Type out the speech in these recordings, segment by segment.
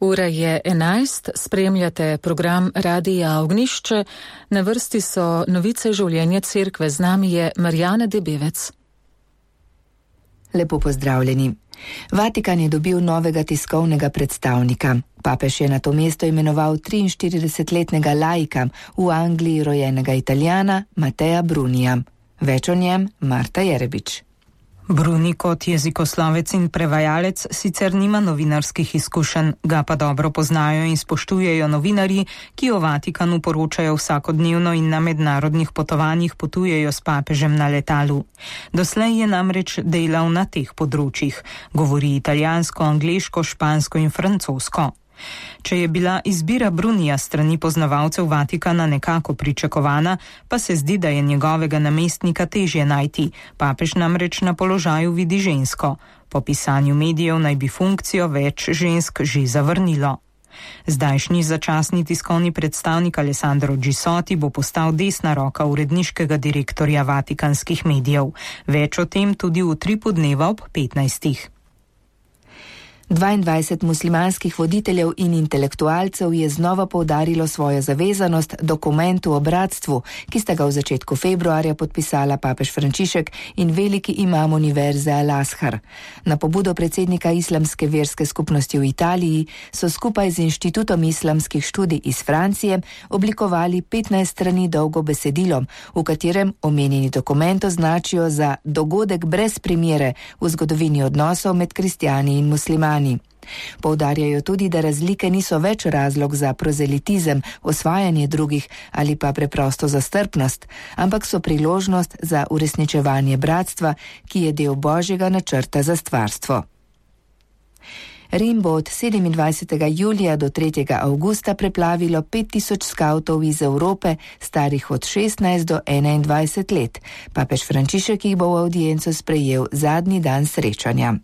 Ura je 11, spremljate program Radija Ognjišče, na vrsti so novice življenja cerkve, z nami je Marjana Debevec. Lepo pozdravljeni. Vatikan je dobil novega tiskovnega predstavnika. Papež je na to mesto imenoval 43-letnega laika, v Angliji rojenega Italijana Mateja Brunija. Več o njem Marta Jerebič. Bruni kot jezikoslovec in prevajalec sicer nima novinarskih izkušenj, ga pa dobro poznajo in spoštujejo novinarji, ki o Vatikanu poročajo vsakodnevno in na mednarodnih potovanjih potujejo s papežem na letalu. Doslej je namreč delal na teh področjih, govori italijansko, angleško, špansko in francosko. Če je bila izbira Brunija strani poznavalcev Vatikana nekako pričakovana, pa se zdi, da je njegovega namestnika težje najti. Papež namreč na položaju vidi žensko. Po pisanju medijev naj bi funkcijo več žensk že zavrnilo. Zdajšnji začasni tiskovni predstavnik Alessandro Gisoti bo postal desna roka uredniškega direktorja vatikanskih medijev. Več o tem tudi v Utripu dneva ob 15. 22 muslimanskih voditeljev in intelektualcev je znova poudarilo svojo zavezanost dokumentu o bratstvu, ki sta ga v začetku februarja podpisala papež Frančišek in veliki imam univerze Al-Azhar. Na pobudo predsednika islamske verske skupnosti v Italiji so skupaj z Inštitutom islamskih študij iz Francije oblikovali 15 strani dolgo besedilo, v katerem omenjeni dokument označijo za dogodek brez primere v zgodovini odnosov med kristjani in muslimani. Poudarjajo tudi, da razlike niso več razlog za prozelitizem, osvajanje drugih ali pa preprosto za strpnost, ampak so priložnost za uresničevanje bratstva, ki je del Božjega načrta za stvarstvo. Rim bo od 27. julija do 3. avgusta preplavilo 5000 skavtov iz Evrope, starih od 16 do 21 let. Papež Frančišek jih bo v avdienco sprejel zadnji dan srečanja.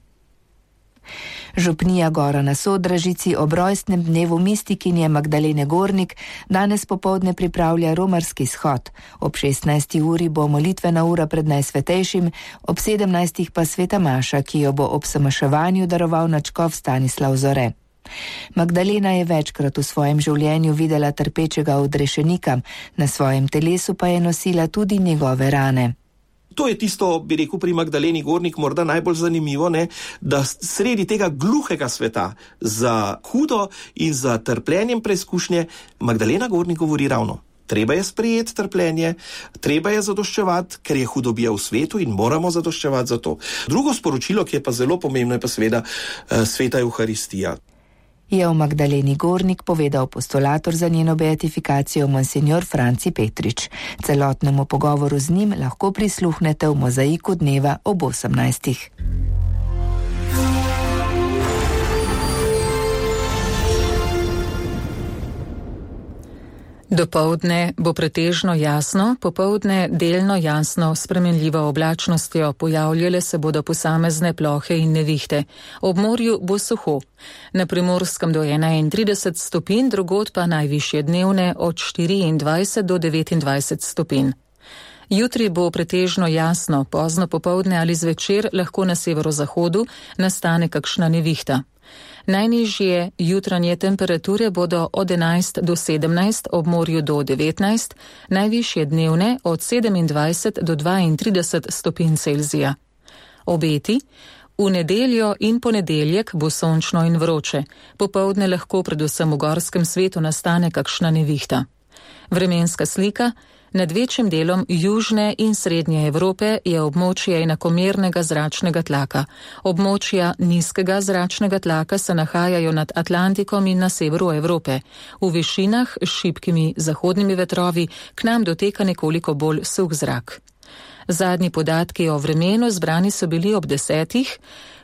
Župnija Gora na Sodražici ob rojstnem dnevu mistikinje Magdalene Gornik danes popoldne pripravlja romarski shod. Ob 16. uri bo molitvena ura pred Najsvetejšim, ob 17. pa sveta maša, ki jo bo ob samaševanju daroval nadškof Stanislav Zore. Magdalena je večkrat v svojem življenju videla trpečega odrešenika, na svojem telesu pa je nosila tudi njegove rane. To je tisto, bi rekel, pri Magdaleni Gornik morda najbolj zanimivo, da sredi tega gluhega sveta za hudo in za trpljenjem preizkušnje Magdalena Gornik govori ravno. Treba je sprejeti trpljenje, treba je zadoščevati, ker je hudobija v svetu in moramo zadoščevati za to. Drugo sporočilo, ki je pa zelo pomembno, je pa seveda sveta Evharistija. Je o Magdaleni Gornik povedal postulator za njeno beatifikacijo monsignor Franci Petrič. Celotnemu pogovoru z njim lahko prisluhnete v Mozaiku dneva ob 18. Dopoldne bo pretežno jasno, popoldne delno jasno, spremenljivo oblačnostjo, pojavljale se bodo posamezne plohe in nevihte. Ob morju bo suho. Na Primorskem do 31 stopinj, drugod pa najvišje dnevne od 24 do 29 stopinj. Jutri bo pretežno jasno, pozno popoldne ali zvečer lahko na severozahodu nastane kakšna nevihta. Najnižje jutranje temperature bodo od 11 do 17, ob morju do 19, najvišje dnevne od 27 do 32 stopinj Celzija. Obeti: v nedeljo in ponedeljek bo sončno in vroče, popoldne lahko predvsem v gorskem svetu nastane kakšna nevihta. Vremenska slika: nad večjim delom južne in srednje Evrope je območje enakomernega zračnega tlaka. Območja nizkega zračnega tlaka se nahajajo nad Atlantikom in na severu Evrope. V višinah s šibkimi zahodnimi vetrovi k nam doteka nekoliko bolj suh zrak. Zadnji podatki o vremenu zbrani so bili ob 10.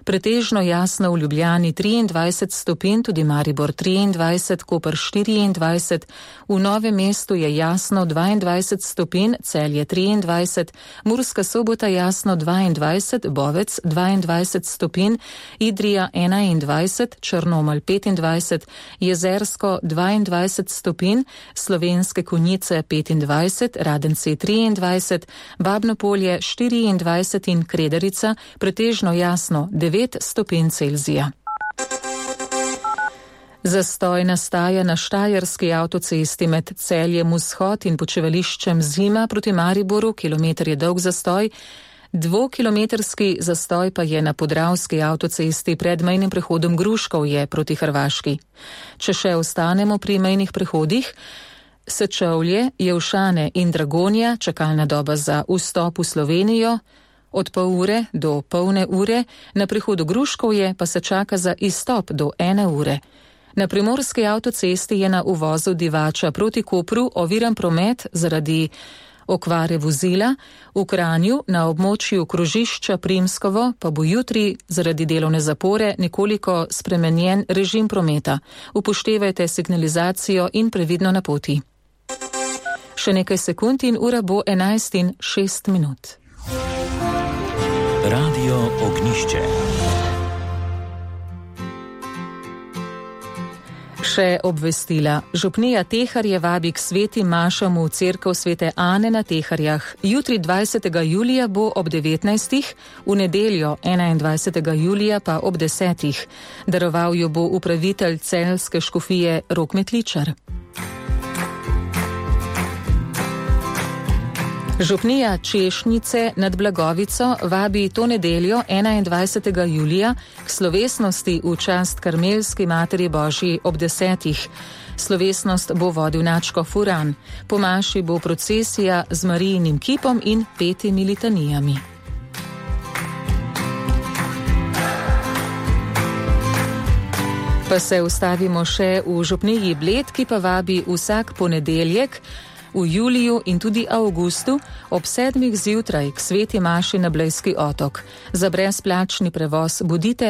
Pretežno jasno v Ljubljani 23 stopinj, tudi Maribor 23, Koper 24, v Novem mestu je jasno 22 stopinj, Celje 23, Murska Sobota jasno 22, Bovec 22 stopinj, Idrija 21, Črnomelj 25, Jezersko 22 stopinj, Slovenske Konjice 25, Radenci 23, Babnopolje 24 in Krederica pretežno jasno 9 stopinj Celzija. Zastoj nastaja na štajerski avtocesti med Celjem Vzhod in počivališčem Zima proti Mariboru, kilometer je dolg zastoj. 2-kilometrski zastoj pa je na podravski avtocesti pred mejnim prehodom Gruškovje proti Hrvaški. Če še ostanemo pri mejnih prehodih, Sečovlje, Jelšane in Dragonja, čakalna doba za vstop v Slovenijo, od pol ure do polne ure, na prehodu Gruškovje pa se čaka za izstop do 1 ure. Na primorski avtocesti je na uvozu Divača proti Kopru oviran promet zaradi okvare vozila, v Kranju na območju krožišča Primskovo pa bo jutri zaradi delovne zapore nekoliko spremenjen režim prometa. Upoštevajte signalizacijo in previdno na poti. Še nekaj sekund in ura bo 11:06. Radio Ognjišče. Še obvestila. Župnija Teharje vabi k svetim mašam v cerkev Svete Ane na Teharjah. Jutri 20. julija bo ob 19. v nedeljo 21. julija pa ob 10. Daroval jo bo upravitelj celjske škofije Rok Metličar. Župnija Češnjice nad Blagovico vabi to nedeljo 21. julija k slovesnosti v čast Karmelski Materi Božji ob 10. Slovesnost bo vodil nadškof Furan. Po maši bo procesija z Marijinim kipom in 5 litanijami. Pa se ustavimo še v župniji Bled, ki pa vabi vsak ponedeljek v juliju in tudi avgustu ob 7. zjutraj k sveti maši na Blejski otok. Za brezplačni prevoz bodite